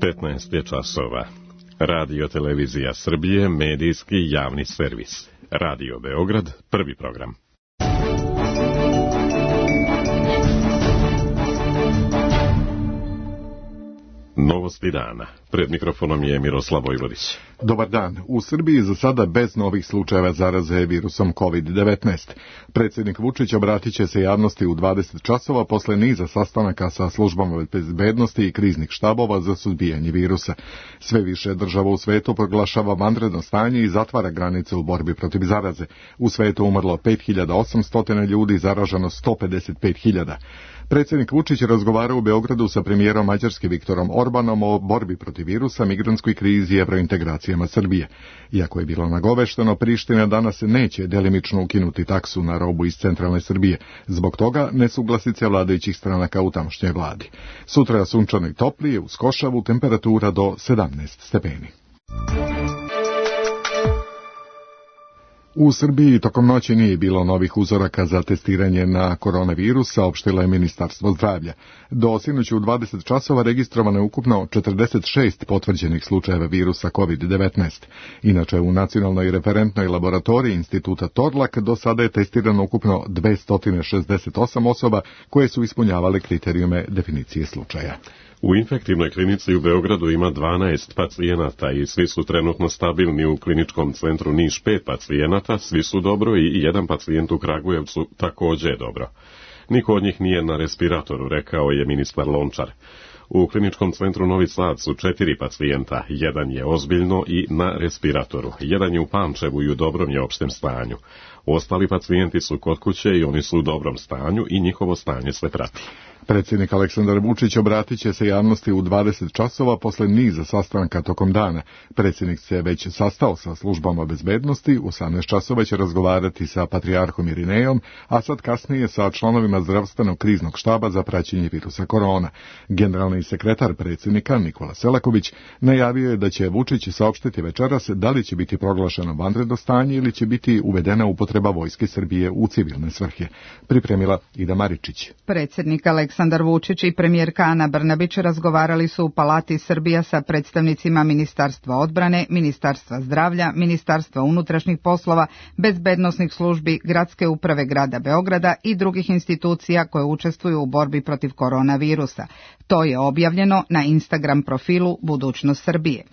15 je časova. Radio Televizija Srbije, medijski javni servis. Radio Beograd, prvi program. Novosti dana. Pred mikrofonom je Miroslav Vojvodić. Dobar dan. U Srbiji za sada bez novih slučajeva zaraze virusom COVID-19. Predsjednik Vučić obratit će se javnosti u 20 časova posle niza sastanaka sa službama bezbednosti i kriznih štabova za suzbijanje virusa. Sve više država u svetu proglašava vanredno stanje i zatvara granice u borbi protiv zaraze. U svetu umrlo 5800 ljudi, zaraženo 155.000. Predsjednik Vučić razgovara u Beogradu sa premijerom Mađarske Viktorom Orbanom o borbi protiv virusa, migrantskoj krizi i evrointegracijama Srbije. Iako je bilo nagovešteno, Priština danas neće delimično ukinuti taksu na robu iz centralne Srbije. Zbog toga nesuglasice vladajućih stranaka u tamošnjoj vladi. Sutra sunčano i toplije, uz košavu, temperatura do 17 stepeni. U Srbiji tokom noći nije bilo novih uzoraka za testiranje na koronavirus, saopštilo je Ministarstvo zdravlja. Do sinoć u 20 časova registrovano je ukupno 46 potvrđenih slučajeva virusa COVID-19. Inače, u nacionalnoj referentnoj laboratoriji Instituta Torlak do sada je testirano ukupno 268 osoba koje su ispunjavale kriterijume definicije slučaja. U infektivnoj klinici u Beogradu ima 12 pacijenata i svi su trenutno stabilni. U kliničkom centru Niš 5 pacijenata, svi su dobro i jedan pacijent u Kragujevcu također je dobro. Niko od njih nije na respiratoru, rekao je ministar Lončar. U kliničkom centru Novi Sad su 4 pacijenta, jedan je ozbiljno i na respiratoru, jedan je u Pančevu i u dobrom je opštem stanju. Ostali pacijenti su kod kuće i oni su u dobrom stanju i njihovo stanje se prati. Predsjednik Aleksandar Vučić obratit će se javnosti u 20 časova posle niza sastanka tokom dana. Predsjednik se već sastao sa službama bezbednosti, u 18 časova će razgovarati sa patrijarhom Irinejom, a sad kasnije sa članovima zdravstvenog kriznog štaba za praćenje virusa korona. Generalni sekretar predsjednika Nikola Selaković najavio je da će Vučić saopštiti večeras da li će biti proglašeno vanredno stanje ili će biti uvedena upotreba Vojske Srbije u civilne svrhe. Pripremila Ida Maričić. Predsjednik Aleksandar Vučić i premijerka Ana Brnabić razgovarali su u Palati Srbija sa predstavnicima Ministarstva odbrane, Ministarstva zdravlja, Ministarstva unutrašnjih poslova, bezbednosnih službi, Gradske uprave grada Beograda i drugih institucija koje učestvuju u borbi protiv koronavirusa. To je objavljeno na Instagram profilu Budućnost Srbije.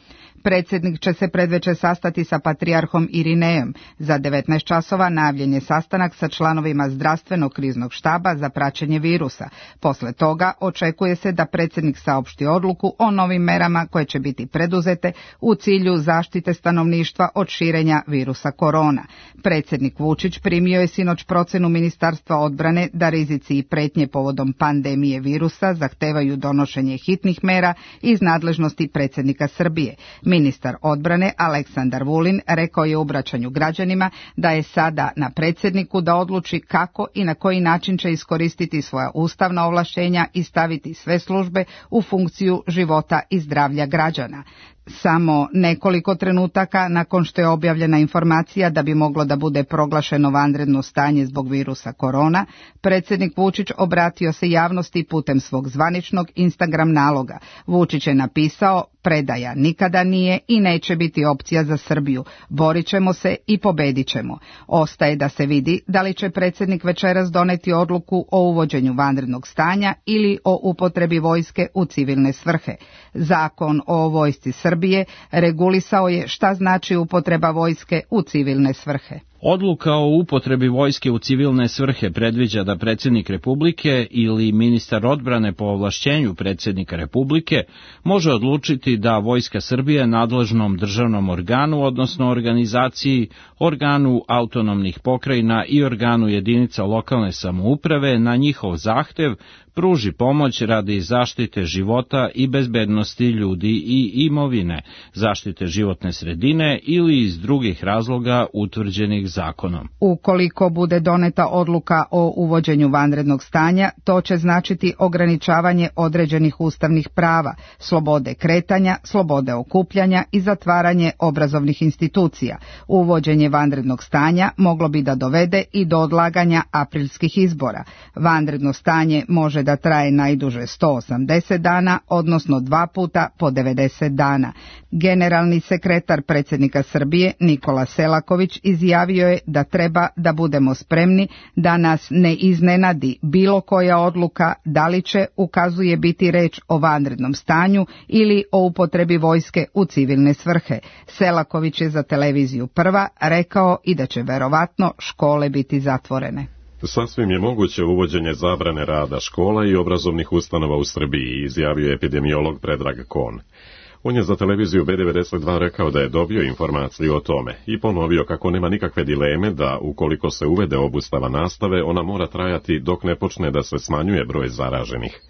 Predsjednik će se predveče sastati sa patrijarhom Irinejom. Za 19 časova najavljen je sastanak sa članovima zdravstvenog kriznog štaba za praćenje virusa. Posle toga očekuje se da predsjednik saopšti odluku o novim merama koje će biti preduzete u cilju zaštite stanovništva od širenja virusa korona. Predsjednik Vučić primio je sinoć procenu Ministarstva odbrane da rizici i pretnje povodom pandemije virusa zahtevaju donošenje hitnih mera iz nadležnosti predsjednika Srbije. Ministar odbrane Aleksandar Vulin rekao je u obraćanju građanima da je sada na predsjedniku da odluči kako i na koji način će iskoristiti svoja ustavna ovlaštenja i staviti sve službe u funkciju života i zdravlja građana. Samo nekoliko trenutaka nakon što je objavljena informacija da bi moglo da bude proglašeno vanredno stanje zbog virusa korona, predsjednik Vučić obratio se javnosti putem svog zvaničnog Instagram naloga. Vučić je napisao: predaja nikada nije i neće biti opcija za Srbiju. Borit ćemo se i pobedit ćemo. Ostaje da se vidi da li će predsjednik večeras doneti odluku o uvođenju vanrednog stanja ili o upotrebi vojske u civilne svrhe. Zakon o vojsci Srbije regulisao je šta znači upotreba vojske u civilne svrhe. Odluka o upotrebi vojske u civilne svrhe predviđa da predsjednik Republike ili ministar odbrane po ovlašćenju predsjednika Republike može odlučiti da Vojska Srbije nadležnom državnom organu, odnosno organizaciji, organu autonomnih pokrajina i organu jedinica lokalne samouprave na njihov zahtev pruži pomoć radi zaštite života i bezbednosti ljudi i imovine, zaštite životne sredine ili iz drugih razloga utvrđenih zakonom. Ukoliko bude doneta odluka o uvođenju vanrednog stanja, to će značiti ograničavanje određenih ustavnih prava, slobode kretanja, slobode okupljanja i zatvaranje obrazovnih institucija. Uvođenje vanrednog stanja moglo bi da dovede i do odlaganja aprilskih izbora. Vanredno stanje može može da traje najduže 180 dana, odnosno 2 puta po 90 dana. Generalni sekretar predsjednika Srbije Nikola Selaković izjavio je da treba da budemo spremni da nas ne iznenadi bilo koja odluka, da li će, ukazuje, biti reč o vanrednom stanju ili o upotrebi vojske u civilne svrhe. Selaković je za televiziju Prva rekao i da će verovatno škole biti zatvorene. Sasvim je moguće uvođenje zabrane rada škola i obrazovnih ustanova u Srbiji, izjavio epidemiolog Predrag Kon. On je za televiziju B92 rekao da je dobio informaciju o tome i ponovio kako nema nikakve dileme da ukoliko se uvede obustava nastave, ona mora trajati dok ne počne da se smanjuje broj zaraženih.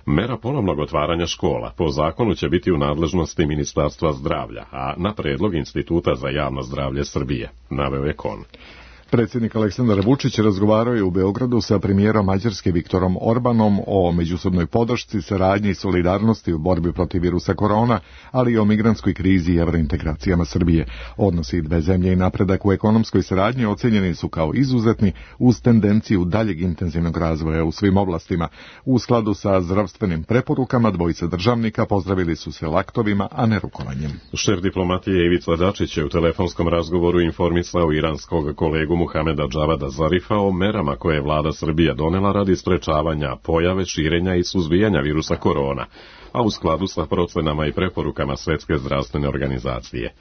Mera ponovnog otvaranja škola po zakonu će biti u nadležnosti Ministarstva zdravlja, a na predlog Instituta za javno zdravlje Srbije, naveo je Kon. Predsjednik Aleksandar Vučić razgovarao je u Beogradu sa premijerom Mađarske Viktorom Orbanom o međusobnoj podršci, saradnji i solidarnosti u borbi protiv virusa korona, ali i o migrantskoj krizi i evrointegracijama Srbije. Odnosi dve zemlje i napredak u ekonomskoj saradnji ocenjeni su kao izuzetni uz tendenciju daljeg intenzivnog razvoja u svim oblastima. U skladu sa zdravstvenim preporukama dvojica državnika pozdravili su se laktovima, a ne rukovanjem. Šef diplomatije Ivica Dačić je u telefonskom razgovoru informisao iranskog kolegu Muhameda Džavada Zarifa o merama koje je vlada Srbija donela radi sprečavanja pojave, širenja i suzbijanja virusa korona, a u skladu sa procenama i preporukama Svetske zdravstvene organizacije.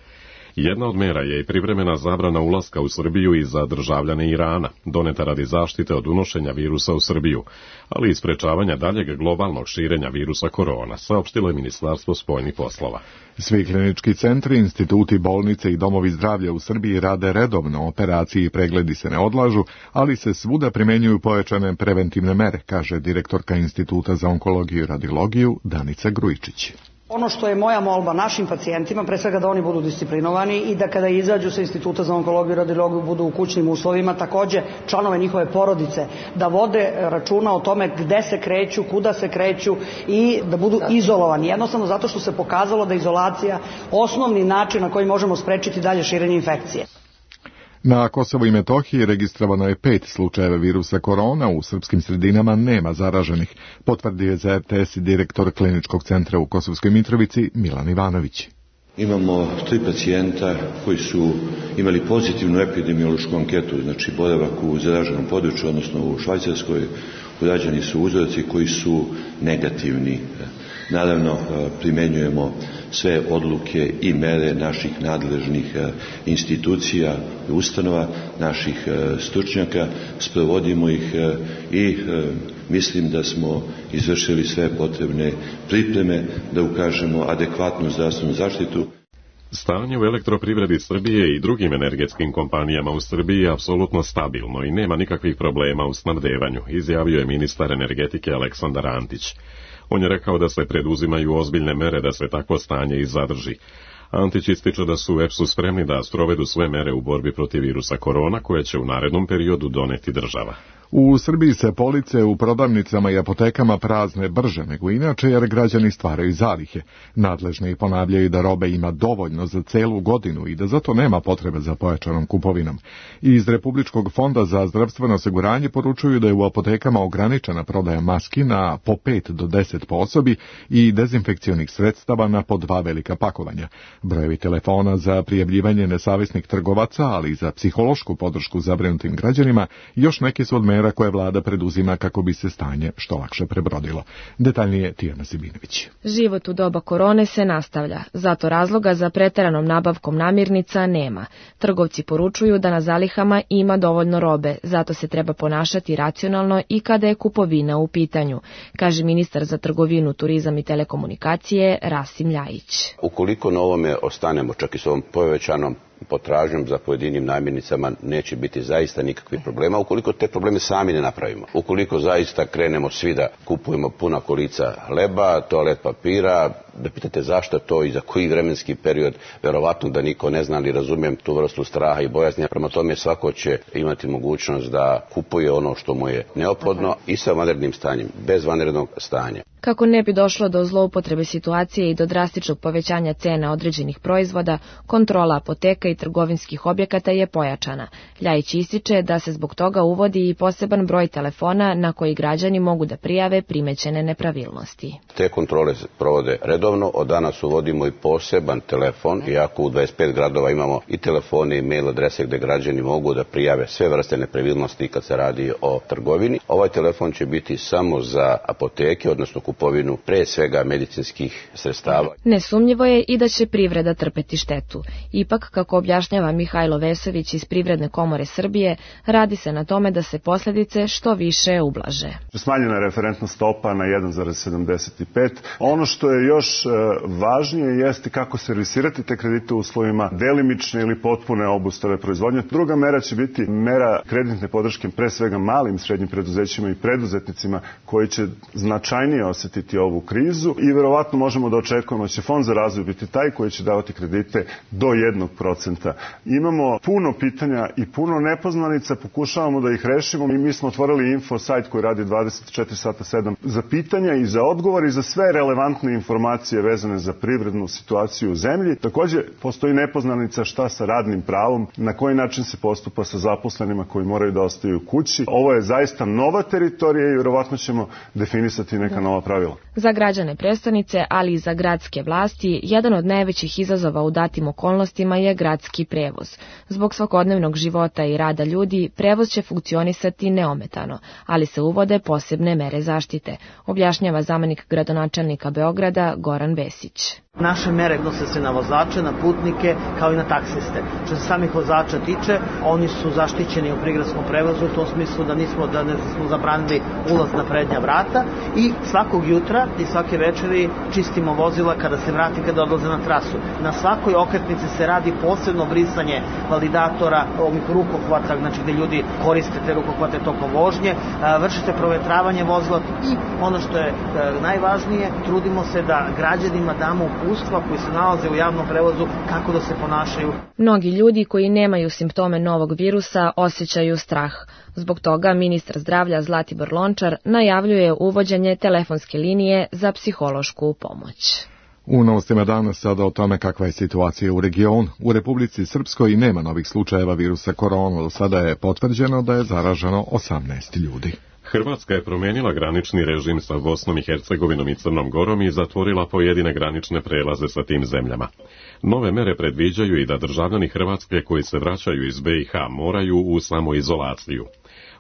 Jedna od mera je i privremena zabrana ulaska u Srbiju i za državljane Irana, doneta radi zaštite od unošenja virusa u Srbiju, ali i sprečavanja daljeg globalnog širenja virusa korona, saopštilo je Ministarstvo spoljnih poslova. Svi klinički centri, instituti, bolnice i domovi zdravlja u Srbiji rade redovno, operacije i pregledi se ne odlažu, ali se svuda primenjuju pojačane preventivne mere, kaže direktorka Instituta za onkologiju i radiologiju Danica Grujičić. Ono što je moja molba našim pacijentima, pre svega da oni budu disciplinovani i da kada izađu sa Instituta za onkologiju i radiologiju budu u kućnim uslovima, takođe članove njihove porodice, da vode računa o tome gde se kreću, kuda se kreću i da budu izolovani. Jednostavno zato što se pokazalo da je izolacija osnovni način na koji možemo sprečiti dalje širenje infekcije. Na Kosovu i Metohiji registrovano je 5 slučajeva virusa korona, u srpskim sredinama nema zaraženih, potvrdio je za RTS direktor kliničkog centra u Kosovskoj Mitrovici Milan Ivanović. Imamo 3 pacijenta koji su imali pozitivnu epidemiološku anketu, znači boravak u zaraženom području, odnosno u Švajcarskoj, urađeni su uzorci koji su negativni. Naravno, primenjujemo sve odluke i mere naših nadležnih institucija i ustanova, naših stručnjaka, sprovodimo ih i mislim da smo izvršili sve potrebne pripreme da ukažemo adekvatnu zdravstvenu zaštitu. Stanje u elektroprivredi Srbije i drugim energetskim kompanijama u Srbiji je apsolutno stabilno i nema nikakvih problema u snabdevanju, izjavio je ministar energetike Aleksandar Antić. On je rekao da se preduzimaju ozbiljne mere da se takvo stanje i zadrži. Antić ističe da su u EPS-u spremni da sprovedu sve mere u borbi protiv virusa korona koje će u narednom periodu doneti država. U Srbiji se police u prodavnicama i apotekama prazne brže nego inače jer građani stvaraju zalihe. Nadležni ponavljaju da robe ima dovoljno za celu godinu i da zato nema potrebe za pojačanom kupovinom. Iz Republičkog fonda za zdravstveno osiguranje poručuju da je u apotekama ograničena prodaja maski na po 5 do 10 po osobi i dezinfekcionih sredstava na po 2 velika pakovanja. Brojevi telefona za prijavljivanje nesavesnih trgovaca, ali i za psihološku podršku zabrinutim građanima još neki su od mera koje vlada preduzima kako bi se stanje što lakše prebrodilo. Detaljnije Tijana Sibinović. Život u doba korone se nastavlja, zato razloga za preteranom nabavkom namirnica nema. Trgovci poručuju da na zalihama ima dovoljno robe, zato se treba ponašati racionalno i kada je kupovina u pitanju, kaže ministar za trgovinu, turizam i telekomunikacije Rasim Ljajić. Ukoliko na ovome ostanemo čak i s ovom povećanom potražnjom za pojedinim namirnicama neće biti zaista nikakvih problema ukoliko te probleme sami ne napravimo. Ukoliko zaista krenemo svi da kupujemo puna kolica hleba, toalet papira, da pitate zašto to i za koji vremenski period, verovatno da niko ne zna, ali razumijem tu vrstu straha i bojazni. Prema tome svako će imati mogućnost da kupuje ono što mu je neophodno i sa vanrednim stanjem, bez vanrednog stanja. Kako ne bi došlo do zloupotrebe situacije i do drastičnog povećanja cena određenih proizvoda, kontrola apoteka i trgovinskih objekata je pojačana. Ljajić ističe da se zbog toga uvodi i poseban broj telefona na koji građani mogu da prijave primećene nepravilnosti. Te kontrole se provode redovno, od danas uvodimo i poseban telefon, iako u 25 gradova imamo i telefone i mail adrese gde građani mogu da prijave sve vrste nepravilnosti kad se radi o trgovini. Ovaj telefon će biti samo za apoteke, odnosno kupovinu pre svega medicinskih sredstava. Nesumnjivo je i da će privreda trpeti štetu. Ipak, kako objašnjava Mihajlo Vesović iz Privredne komore Srbije, radi se na tome da se posljedice što više ublaže. Smanjena je referentna stopa na 1,75. Ono što je još važnije jeste kako servisirati te kredite u uslovima delimične ili potpune obustave proizvodnje. Druga mera će biti mera kreditne podrške pre svega malim i srednjim preduzećima i preduzetnicima koji će značajnije osjetiti ovu krizu i verovatno možemo da očekujemo da će Fond za razvoj biti taj koji će davati kredite do 1%. Imamo puno pitanja i puno nepoznanica, pokušavamo da ih rešimo i mi smo otvorili info sajt koji radi 24/7 za pitanja i za odgovor i za sve relevantne informacije vezane za privrednu situaciju u zemlji. Takođe, postoji nepoznanica šta sa radnim pravom, na koji način se postupa sa zaposlenima koji moraju da ostaju kući. Ovo je zaista nova teritorija i verovatno ćemo definisati neka nova pravila. Za građane prestonice, ali i za gradske vlasti, jedan od najvećih izazova u datim okolnostima je gradski prevoz. Zbog svakodnevnog života i rada ljudi, prevoz će funkcionisati neometano, ali se uvode posebne mere zaštite, objašnjava zamenik gradonačelnika Beograda Goran Vesić. Naše mere odnose se na vozače, na putnike, kao i na taksiste. Što se samih vozača tiče, oni su zaštićeni u prigradskom prevozu u tom smislu da ne smo zabranili ulaz na prednja vrata i svakog jutra i svake večeri čistimo vozila kada se vrati, kada odlaze na trasu. Na svakoj okretnici se radi posebno brisanje validatora, ovih rukohvata, znači gde ljudi koriste te rukohvate tokom vožnje, vrši se provetravanje vozila i ono što je najvažnije, trudimo se da građanima damo uputstva koji se nalaze u javnom prevozu kako da se ponašaju. Mnogi ljudi koji nemaju simptome novog virusa osjećaju strah. Zbog toga ministar zdravlja Zlatibor Lončar najavljuje uvođenje telefonske linije za psihološku pomoć. U novostima danas sada o tome kakva je situacija u regionu. U Republici Srpskoj nema novih slučajeva virusa korona. Do sada je potvrđeno da je zaraženo 18 ljudi. Hrvatska je promijenila granični režim sa Bosnom i Hercegovinom i Crnom Gorom i zatvorila pojedine granične prelaze sa tim zemljama. Nove mere predviđaju i da državljani Hrvatske koji se vraćaju iz BiH moraju u samoizolaciju.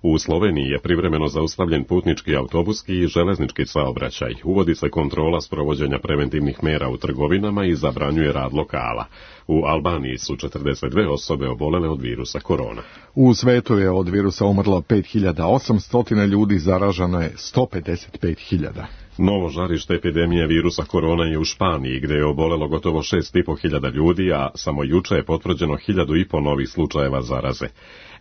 U Sloveniji je privremeno zaustavljen putnički, autobuski i železnički saobraćaj. Uvodi se kontrola sprovođenja preventivnih mera u trgovinama i zabranjuje rad lokala. U Albaniji su 42 osobe obolele od virusa korona. U svetu je od virusa umrlo 5800 ljudi, zaraženo je 155.000. Novo žarište epidemije virusa korona je u Španiji, gde je obolelo gotovo 6.500 ljudi, a samo juče je potvrđeno 1.500 novih slučajeva zaraze.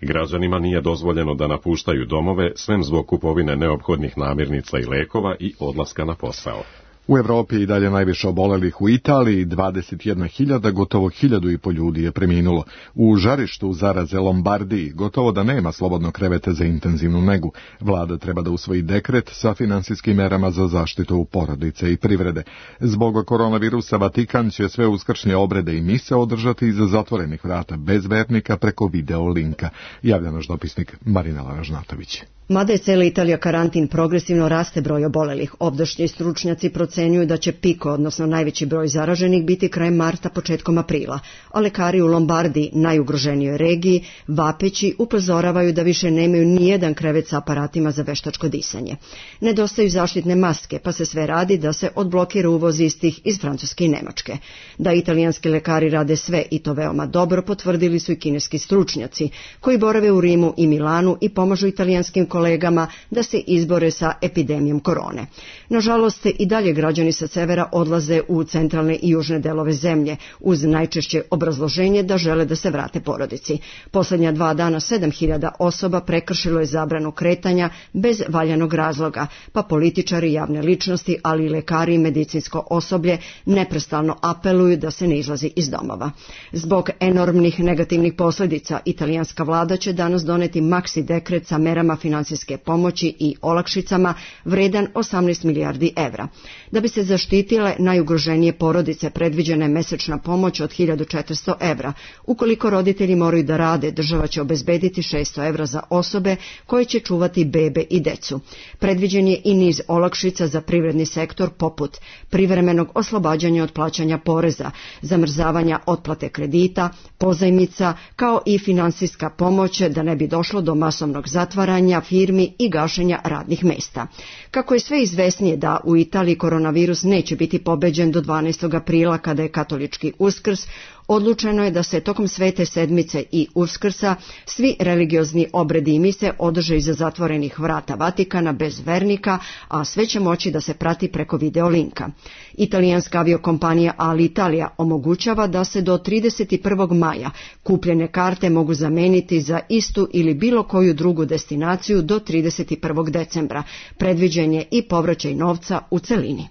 Građanima nije dozvoljeno da napuštaju domove, sem zbog kupovine neophodnih namirnica i lekova i odlaska na posao. U Evropi i dalje najviše obolelih u Italiji, 21.000, gotovo 1.500 ljudi je preminulo. U žarištu zaraze Lombardiji gotovo da nema slobodnog kreveta za intenzivnu negu. Vlada treba da usvoji dekret sa finansijskim merama za zaštitu porodice i privrede. Zbog koronavirusa Vatikan će sve uskršnje obrede i mise održati iza zatvorenih vrata bez vernika preko video linka, javlja naš dopisnik Marina Laražnatović. Mada je cela Italija karantin, progresivno raste broj obolelih. Ovdašnji stručnjaci procenjuju da će piko, odnosno najveći broj zaraženih, biti krajem marta, početkom aprila. A lekari u Lombardiji, najugroženijoj regiji, vapeći upozoravaju da više nemaju nijedan krevet sa aparatima za veštačko disanje. Nedostaju zaštitne maske, pa se sve radi da se odblokira uvoz istih iz Francuske i Nemačke. Da italijanski lekari rade sve i to veoma dobro, potvrdili su i kineski stručnjaci, koji borave u Rimu i Milanu i pomažu italijanskim kolegama da se izbore sa epidemijom korone. Nažalost, i dalje građani sa severa odlaze u centralne i južne delove zemlje, uz najčešće obrazloženje da žele da se vrate porodici. Posljednja 2 dana 7.000 osoba prekršilo je zabranu kretanja bez valjanog razloga, pa političari, javne ličnosti, ali i lekari i medicinsko osoblje neprestano apeluju da se ne izlazi iz domova. Zbog enormnih negativnih posljedica, italijanska vlada će danas doneti maksi dekret sa merama financijske pomoći i olakšicama vredan 18 milijardi evra. Da bi se zaštitile najugroženije porodice, predviđena je mesečna pomoć od 1.400 evra. Ukoliko roditelji moraju da rade, država će obezbediti 600 evra za osobe koje će čuvati bebe i decu. Predviđen je i niz olakšica za privredni sektor poput privremenog oslobađanja od plaćanja poreza, zamrzavanja otplate kredita, pozajmica, kao i finansijska pomoć da ne bi došlo do masovnog zatvaranja firmi i gašenja radnih mesta. Kako je sve izvesnije da u Italiji koronavirus neće biti pobeđen do 12. aprila kada je katolički Uskrs, odlučeno je da se tokom Svete sedmice i Uskrsa svi religiozni obredi i mise održe iza zatvorenih vrata Vatikana bez vernika, a sve će moći da se prati preko video linka. Italijanska aviokompanija Alitalia omogućava da se do 31. maja kupljene karte mogu zameniti za istu ili bilo koju drugu destinaciju do 31. decembra. Predviđen je i povraćaj novca u celini.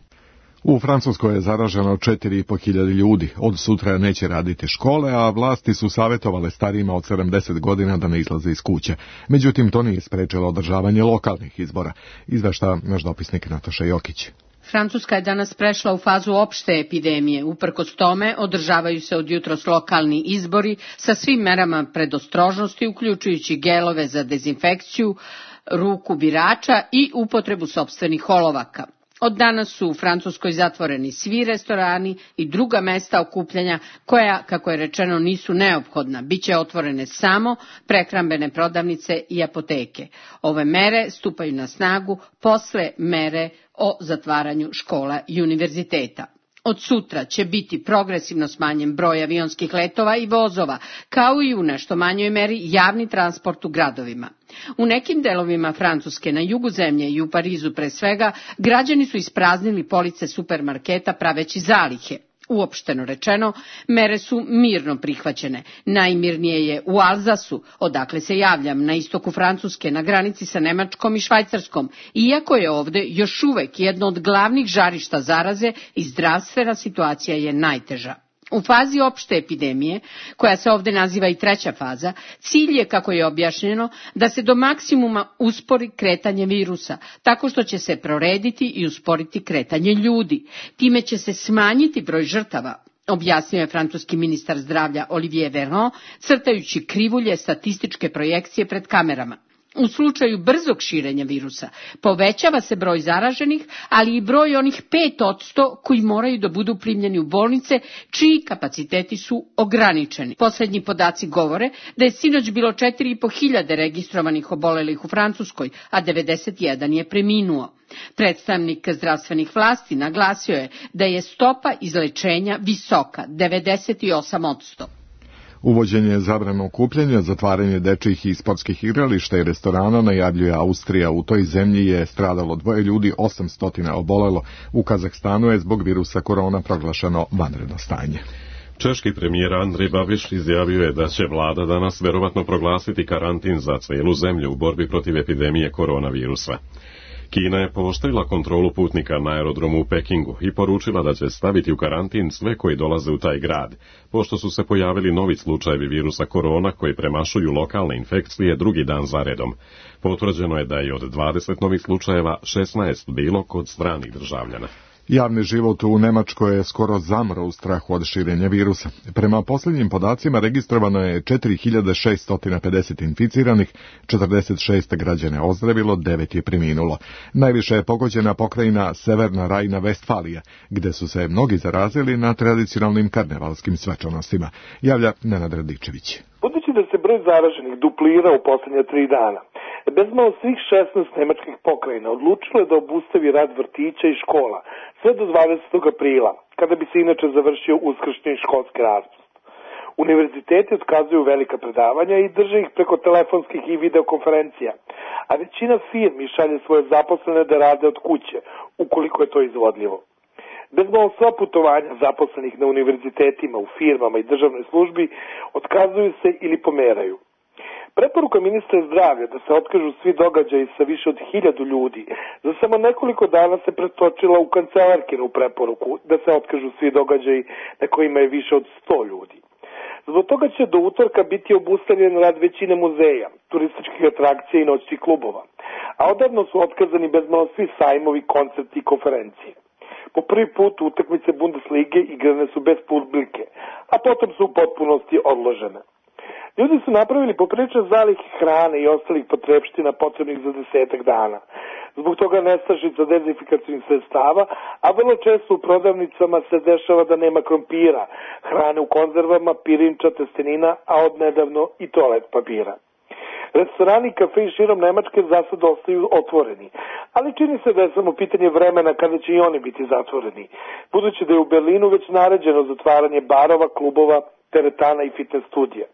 U Francuskoj je zaraženo 4.500 ljudi. Od sutra neće raditi škole, a vlasti su savjetovale starijima od 70 godina da ne izlaze iz kuće. Međutim, to nije sprečilo održavanje lokalnih izbora. Izvešta naš dopisnik Nataša Jokić. Francuska je danas prešla u fazu opšte epidemije. Uprkos tome, održavaju se od jutros lokalni izbori sa svim merama predostrožnosti, uključujući gelove za dezinfekciju, ruku birača i upotrebu sopstvenih olovaka. Od danas su u Francuskoj zatvoreni svi restorani i druga mesta okupljanja koja, kako je rečeno, nisu neophodna. Biće otvorene samo prehrambene prodavnice i apoteke. Ove mere stupaju na snagu posle mere o zatvaranju škola i univerziteta. Od sutra će biti progresivno smanjen broj avionskih letova i vozova, kao i u nešto manjoj meri javni transport u gradovima. U nekim delovima Francuske, na jugu zemlje i u Parizu pre svega, građani su ispraznili police supermarketa praveći zalihe. Uopšteno rečeno, mere su mirno prihvaćene. Najmirnije je u Alzasu, odakle se javljam, na istoku Francuske, na granici sa Nemačkom i Švajcarskom, iako je ovde još uvek jedno od glavnih žarišta zaraze i zdravstvena situacija je najteža. U fazi opšte epidemije, koja se ovde naziva i treća faza, cilj je, kako je objašnjeno, da se do maksimuma uspori kretanje virusa, tako što će se prorediti i usporiti kretanje ljudi. Time će se smanjiti broj žrtava, objasnio je francuski ministar zdravlja Olivier Véran, crtajući krivulje statističke projekcije pred kamerama. U slučaju brzog širenja virusa povećava se broj zaraženih, ali i broj onih 5% koji moraju da budu primljeni u bolnice, čiji kapaciteti su ograničeni. Posljednji podaci govore da je sinoć bilo 4.500 registrovanih obolelih u Francuskoj, a 91 je preminuo. Predstavnik zdravstvenih vlasti naglasio je da je stopa izlečenja visoka, 98%. Uvođenje zabrane okupljanja, zatvaranje dečjih i sportskih igrališta i restorana najavljuje Austrija. U toj zemlji je stradalo 2 ljudi, 800 obolelo. U Kazahstanu je zbog virusa korona proglašeno vanredno stanje. Češki premijer Andrej Babiš izjavio je da će vlada danas verovatno proglasiti karantin za cijelu zemlju u borbi protiv epidemije koronavirusa. Kina je pooštrila kontrolu putnika na aerodromu u Pekingu i poručila da će staviti u karantin sve koji dolaze u taj grad, pošto su se pojavili novi slučajevi virusa korona koji premašuju lokalne infekcije drugi dan za redom. Potvrđeno je da je od 20 novih slučajeva 16 bilo kod stranih državljana. Javni život u Nemačkoj je skoro zamro u strahu od širenja virusa. Prema posljednjim podacima registrovano je 4650 inficiranih, 46 građana ozdravilo, 9 je preminulo. Najviše je pogođena pokrajina Severna Rajna-Vestfalija, gde su se mnogi zarazili na tradicionalnim karnevalskim svečanostima. Javlja Nenad Radičević. Budući da se broj zaraženih duplira u posljednje 3 dana, bezmalo svih 16 nemačkih pokrajina odlučilo je da obustavi rad vrtića i škola sve do 20. aprila, kada bi se inače završio uskršnji školski raspust. Univerziteti otkazuju velika predavanja i drže ih preko telefonskih i videokonferencija, a većina firmi šalje svoje zaposlene da rade od kuće, ukoliko je to izvodljivo. Bezmalo sva putovanja zaposlenih na univerzitetima, u firmama i državnoj službi otkazuju se ili pomeraju. Preporuka ministra zdravlja da se otkažu svi događaji sa više od 1000 ljudi za samo nekoliko dana se pretočila u kancelarkinu preporuku da se otkažu svi događaji na kojima je više od 100 ljudi. Zbog toga će do utorka biti obustavljen rad većine muzeja, turističkih atrakcija i noćnih klubova, a odavno su otkazani bezmalo svi sajmovi, koncerti i konferencije. Po prvi put utakmice Bundeslige igrane su bez publike, a potom su u potpunosti odložene. Ljudi su napravili popriličan zalih hrane i ostalih potrepština potrebnih za 10 dana. Zbog toga nestašica dezinfikacijnih sredstava, a vrlo često u prodavnicama se dešava da nema krompira, hrane u konzervama, pirinča, testenina, a odnedavno i toalet papira. Restorani i kafe širom Nemačke za sad ostaju otvoreni, ali čini se da je samo pitanje vremena kada će i oni biti zatvoreni, budući da je u Berlinu već naređeno zatvaranje barova, klubova, teretana i fitness studija.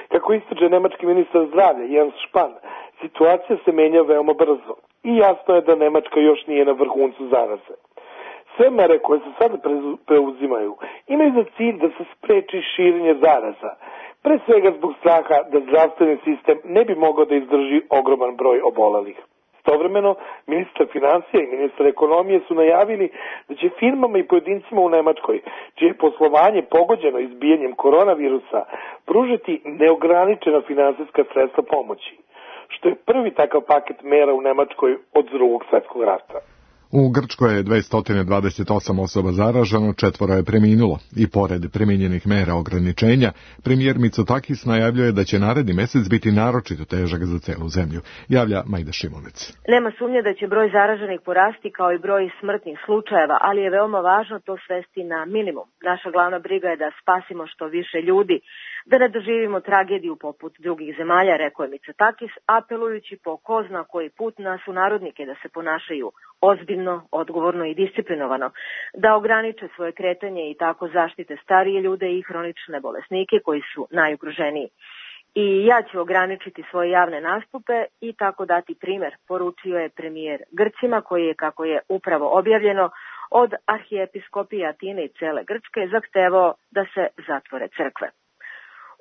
Kako ističe nemački ministar zdravlja Jens Spahn, situacija se menja veoma brzo i jasno je da Nemačka još nije na vrhuncu zaraze. Sve mere koje se sada preuzimaju imaju za cilj da se spreči širenje zaraza, pre svega zbog straha da zdravstveni sistem ne bi mogao da izdrži ogroman broj obolelih. Istovremeno, ministar financija i ministar ekonomije su najavili da će firmama i pojedincima u Nemačkoj, čije je poslovanje pogođeno izbijanjem koronavirusa, pružiti neograničena finansijska sredstva pomoći, što je prvi takav paket mera u Nemačkoj od Drugog svjetskog rata. U Grčkoj je 228 osoba zaraženo, 4 je preminulo i pored primijenjenih mera ograničenja, premijer Mitsotakis najavljuje da će naredni mjesec biti naročito težak za celu zemlju, javlja Majda Šimunec. Nema sumnje da će broj zaraženih porasti kao i broj smrtnih slučajeva, ali je veoma važno to svesti na minimum. Naša glavna briga je da spasimo što više ljudi, da ne doživimo tragediju poput drugih zemalja, rekao je Mitsotakis, apelujući po ko zna koji put na sunarodnike da se ponašaju ozbiljno, odgovorno i disciplinovano, da ograniče svoje kretanje i tako zaštite starije ljude i hronične bolesnike koji su najugroženiji. I ja ću ograničiti svoje javne nastupe i tako dati primjer, poručio je premijer Grcima koji je, kako je upravo objavljeno, od arhijepiskopije Atine i cele Grčke zahtevao da se zatvore crkve.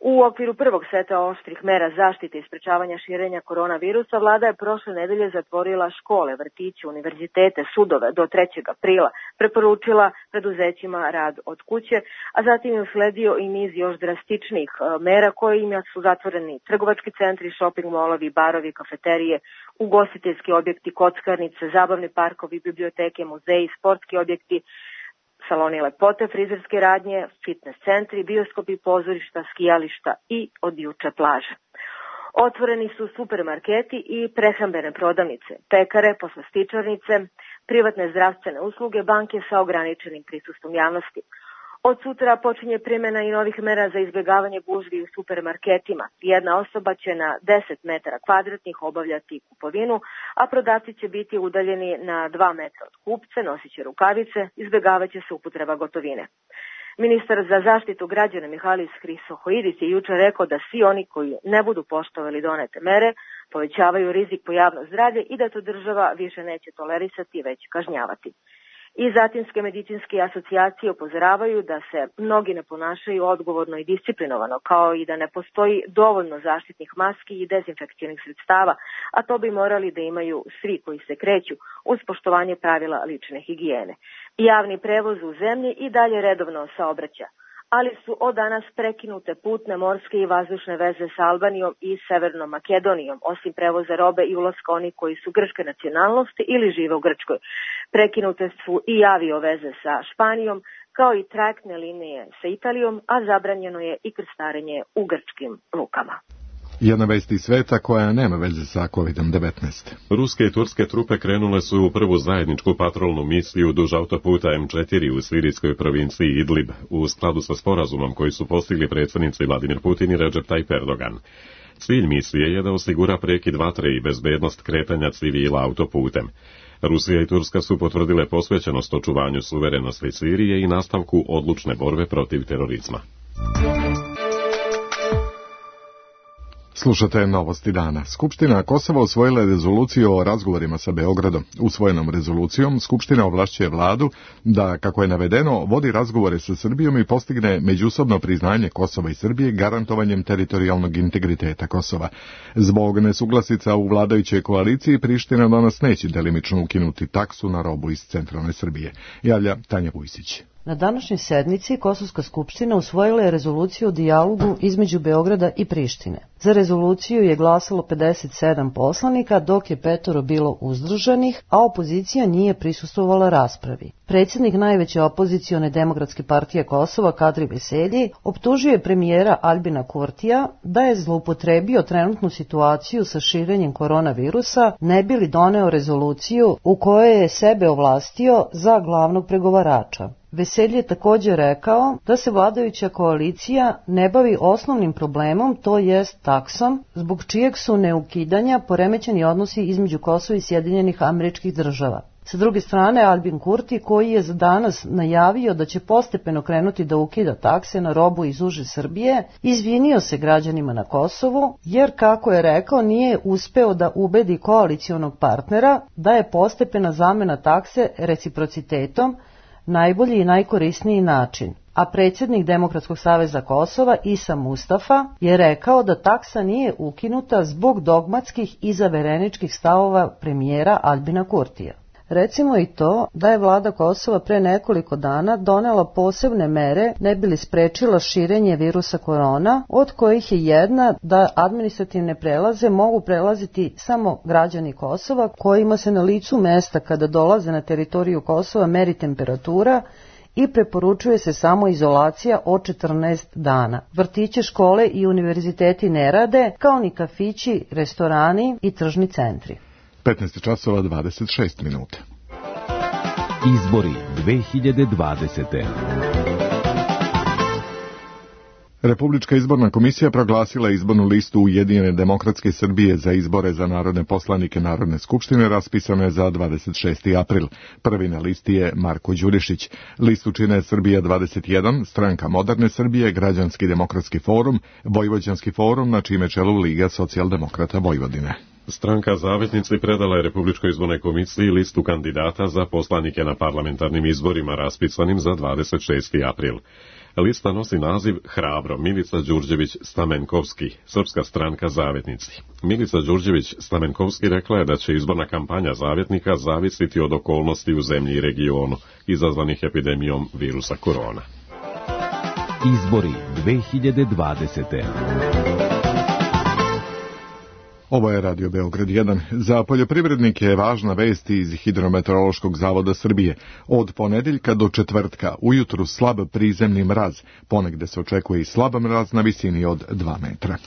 U okviru prvog seta oštrih mera zaštite i sprečavanja širenja koronavirusa, vlada je prošle nedelje zatvorila škole, vrtiće, univerzitete, sudove do 3. aprila, preporučila preduzećima rad od kuće, a zatim je usledio i niz još drastičnih mera kojima su zatvoreni trgovački centri, shopping molovi, barovi, kafeterije, ugostiteljski objekti, kockarnice, zabavni parkovi, biblioteke, muzeji, sportski objekti, saloni lepote, frizerske radnje, fitness centri, bioskopi, pozorišta, skijališta i od juče plaže. Otvoreni su supermarketi i prehrambene prodavnice, pekare, poslastičarnice, privatne zdravstvene usluge, banke sa ograničenim prisustvom javnosti. Od sutra počinje primjena i novih mera za izbjegavanje gužvi u supermarketima. Jedna osoba će na 10 metara kvadratnih obavljati kupovinu, a prodavci će biti udaljeni na 2 metra od kupce, nosit će rukavice, izbjegavat će se upotreba gotovine. Ministar za zaštitu građana Mihalis Hristohoidis je jučer rekao da svi oni koji ne budu poštovali donete mere povećavaju rizik po javno zdravlje i da to država više neće tolerisati, već kažnjavati. I zatimske medicinske asocijacije upozoravaju da se mnogi ne ponašaju odgovorno i disciplinovano, kao i da ne postoji dovoljno zaštitnih maski i dezinfekcijnih sredstava, a to bi morali da imaju svi koji se kreću uz poštovanje pravila lične higijene. Javni prevoz u zemlji i dalje redovno saobraća, ali su od danas prekinute putne, morske i vazdušne veze sa Albanijom i Severnom Makedonijom, osim prevoza robe i ulaska onih koji su grčke nacionalnosti ili žive u Grčkoj. Prekinute su i avio veze sa Španijom, kao i trajektne linije sa Italijom, a zabranjeno je i krstarenje u grčkim lukama. Jedna vest iz sveta koja nema veze sa COVID-19. Ruske i turske trupe krenule su u prvu zajedničku patrolnu misiju duž autoputa M4 u sirijskoj provinciji Idlib, u skladu sa sporazumom koji su postigli predsjednici Vladimir Putin i Recep Tayyip Erdogan. Cilj misije je da osigura prekid vatre i bezbednost kretanja civila autoputem. Rusija i Turska su potvrdile posvećenost očuvanju suverenosti Sirije i nastavku odlučne borbe protiv terorizma. Slušate Novosti dana. Skupština Kosova usvojila je rezoluciju o razgovorima sa Beogradom. Usvojenom rezolucijom Skupština ovlašćuje vladu da, kako je navedeno, vodi razgovore sa Srbijom i postigne međusobno priznanje Kosova i Srbije garantovanjem teritorijalnog integriteta Kosova. Zbog nesuglasica u vladajućoj koaliciji Priština danas neće delimično ukinuti taksu na robu iz centralne Srbije. Javlja Tanja Vujsić. Na današnjoj sednici Kosovska skupština usvojila je rezoluciju o dijalogu između Beograda i Prištine. Za rezoluciju je glasalo 57 poslanika, dok je 5 bilo uzdržanih, a opozicija nije prisustvovala raspravi. Predsjednik najveće opozicione Demokratske partije Kosova, Kadri Veselji, optužio je premijera Albina Kurtija da je zloupotrebio trenutnu situaciju sa širenjem koronavirusa, ne bi li doneo rezoluciju u kojoj je sebe ovlastio za glavnog pregovarača. Veselji je također rekao da se vladajuća koalicija ne bavi osnovnim problemom, to jest taksom, zbog čijeg su neukidanja poremećeni odnosi između Kosova i Sjedinjenih Američkih Država. Sa druge strane, Albin Kurti, koji je za danas najavio da će postepeno krenuti da ukida takse na robu iz uže Srbije, izvinio se građanima na Kosovu, jer, kako je rekao, nije uspeo da ubedi koalicionog partnera da je postepena zamena takse reciprocitetom najbolji i najkorisniji način. A predsjednik Demokratskog saveza Kosova, Isa Mustafa, je rekao da taksa nije ukinuta zbog dogmatskih i zavereničkih stavova premijera Albina Kurtija. Recimo i to da je vlada Kosova pre nekoliko dana donela posebne mere ne bi li sprečila širenje virusa korona, od kojih je jedna da administrativne prelaze mogu prelaziti samo građani Kosova kojima se na licu mesta kada dolaze na teritoriju Kosova meri temperatura i preporučuje se samo izolacija od 14 dana. Vrtiće, škole i univerziteti ne rade, kao ni kafići, restorani i tržni centri. 15 časova 26 minuta. Izbori 2020. Republička izborna komisija proglasila izbornu listu Ujedinjene demokratske Srbije za izbore za narodne poslanike Narodne skupštine raspisane za 26. april. Prvi na listi je Marko Đurišić. Listu čine Srbija 21, Stranka moderne Srbije, Građanski demokratski forum, Vojvođanski forum, na čime čelu Liga socijaldemokrata Vojvodine. Stranka Zavetnici predala je Republičkoj izbornoj komisiji listu kandidata za poslanike na parlamentarnim izborima raspisanim za 26. april. Lista nosi naziv Hrabro, Milica Đurđević-Stamenkovski, Srpska stranka Zavetnici. Milica Đurđević-Stamenkovski rekla je da će izborna kampanja Zavetnika zavisiti od okolnosti u zemlji i regionu, izazvanih epidemijom virusa korona. Izbori 2020. Ovo je Radio Beograd 1. Za poljoprivrednike je važna vest iz Hidrometeorološkog zavoda Srbije. Od ponedeljka do četvrtka ujutru slab prizemni mraz, ponegde se očekuje i slab mraz na visini od 2 metra.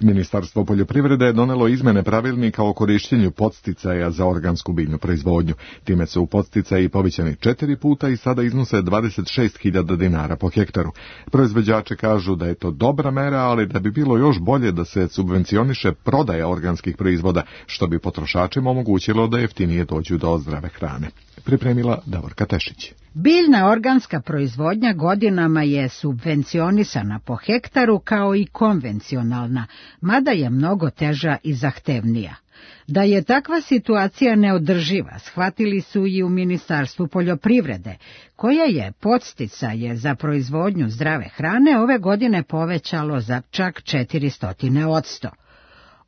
Ministarstvo poljoprivrede je donelo izmene pravilnika o korišćenju podsticaja za organsku biljnu proizvodnju. Time su podsticaji povećani 4 puta i sada iznose 26.000 dinara po hektaru. Proizvođači kažu da je to dobra mera, ali da bi bilo još bolje da se subvencioniše prodaja organskih proizvoda, što bi potrošačima omogućilo da jeftinije dođu do zdrave hrane. Pripremila Davorka Tešić. Biljna organska proizvodnja godinama je subvencionisana po hektaru kao i konvencionalna, mada je mnogo teža i zahtevnija. Da je takva situacija neodrživa, shvatili su i u Ministarstvu poljoprivrede, koja je podsticaje za proizvodnju zdrave hrane ove godine povećalo za čak 400%.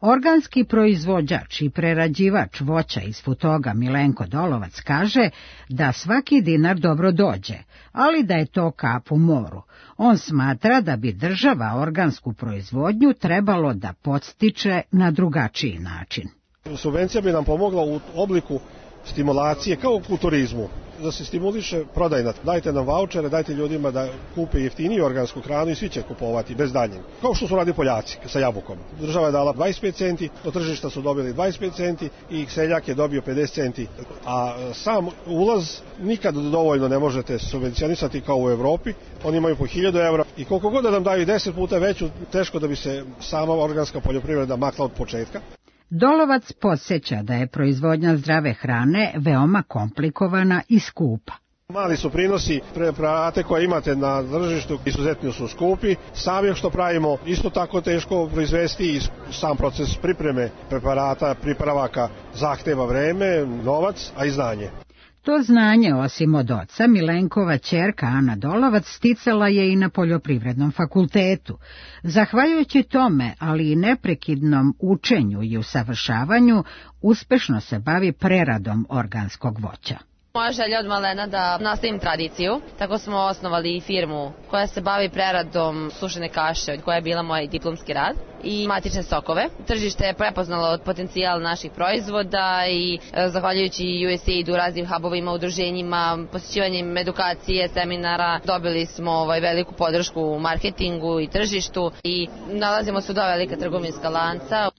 Organski proizvođač i prerađivač voća iz Futoga Milenko Dolovac kaže da svaki dinar dobro dođe, ali da je to kap u moru. On smatra da bi država organsku proizvodnju trebalo da podstiče na drugačiji način. Subvencija bi nam pomogla u obliku stimulacije kao u turizmu, da se stimuliše prodajna. Dajte nam vaučere, dajte ljudima da kupe jeftiniju organsku hranu i svi će kupovati bez daljnjeg. Kao što su radili Poljaci sa jabukom. Država je dala 25 centi, od tržišta su dobili 25 centi i seljak je dobio 50 centi. A sam ulaz nikad dovoljno ne možete subvencionisati kao u Evropi. Oni imaju po 1000 evra i koliko god da nam daju 10 puta veću, teško da bi se sama organska poljoprivreda makla od početka. Dolovac podsjeća da je proizvodnja zdrave hrane veoma komplikovana i skupa. Mali su prinosi, preparate koje imate na tržištu izuzetno su skupi. Sami što pravimo isto tako teško proizvesti i sam proces pripreme preparata, pripravaka zahteva vreme, novac, a i znanje. To znanje, osim od oca, Milenkova ćerka Ana Dolovac sticala je i na Poljoprivrednom fakultetu. Zahvaljujući tome, ali i neprekidnom učenju i usavršavanju, uspešno se bavi preradom organskog voća. Moja želja od malena da nastavim tradiciju, tako smo osnovali firmu koja se bavi preradom sušene kaše, koja je bila moj diplomski rad, i matične sokove. Tržište je prepoznalo potencijal naših proizvoda i zahvaljujući USAID-u, raznim hubovima, udruženjima, posjećivanjem edukacije, seminara, dobili smo veliku podršku u marketingu i tržištu i nalazimo se u dva velika trgovinska lanca.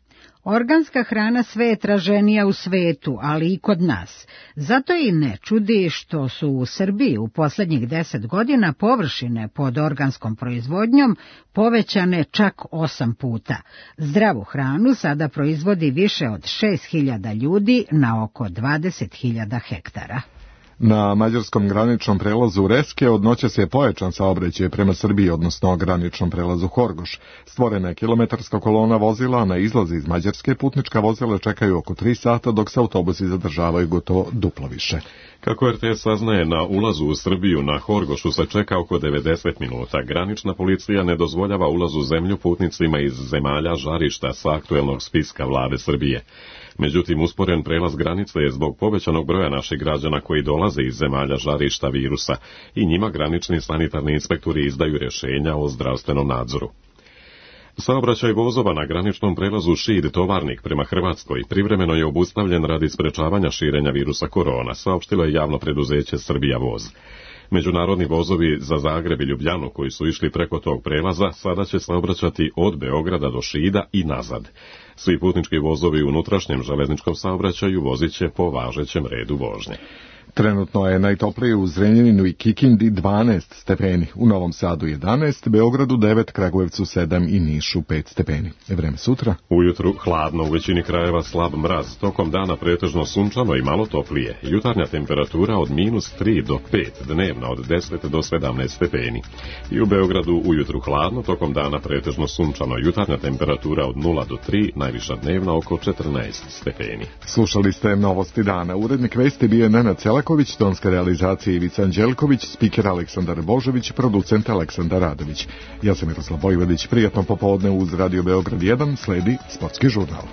Organska hrana sve je traženija u svetu, ali i kod nas. Zato i ne čudi što su u Srbiji u poslednjih 10 godina površine pod organskom proizvodnjom povećane čak 8 puta. Zdravu hranu sada proizvodi više od 6.000 ljudi na oko 20.000 hektara. Na mađarskom graničnom prelazu Reske od noćas je pojačan saobraćaj prema Srbiji, odnosno graničnom prelazu Horgoš. Stvorena je kilometarska kolona vozila, na izlazi iz Mađarske putnička vozila čekaju oko 3 sata, dok se autobusi zadržavaju gotovo duplo više. Kako RTS saznaje, na ulazu u Srbiju na Horgošu se čeka oko 90 minuta. Granična policija ne dozvoljava ulaz u zemlju putnicima iz zemalja žarišta sa aktuelnog spiska vlade Srbije. Međutim, usporen prelaz granice je zbog povećanog broja naših građana koji dolaze iz zemalja žarišta virusa i njima granični sanitarni inspektori izdaju rješenja o zdravstvenom nadzoru. Saobraćaj vozova na graničnom prelazu Šid-Tovarnik prema Hrvatskoj privremeno je obustavljen radi sprečavanja širenja virusa korona, saopštilo je javno preduzeće Srbija voz. Međunarodni vozovi za Zagreb i Ljubljanu koji su išli preko tog prelaza sada će saobraćati od Beograda do Šida i nazad. Svi putnički vozovi u unutrašnjem železničkom saobraćaju vozit će po važećem redu vožnje. Trenutno je najtoplije u Zrenjaninu i Kikindi 12 stepeni, u Novom Sadu 11, Beogradu 9, Kragujevcu 7 i Nišu 5 stepeni. Vreme sutra? Ujutru hladno, u većini krajeva slab mraz, tokom dana pretežno sunčano i malo toplije. Jutarnja temperatura od -3 do 5, dnevna od 10 do 17 stepeni. I u Beogradu ujutru hladno, tokom dana pretežno sunčano, jutarnja temperatura od 0 do 3, najviša dnevna oko 14 stepeni. Slušali ste Novosti dana. Urednik vesti bio je Nenad Celaković, tonska realizacija Ivica Anđelković, spiker Aleksandar Božović, producent Aleksandar Radović. Ja sam Miroslav Vojvodić, prijatno popodne uz Radio Beograd 1, sledi sportski žurnal.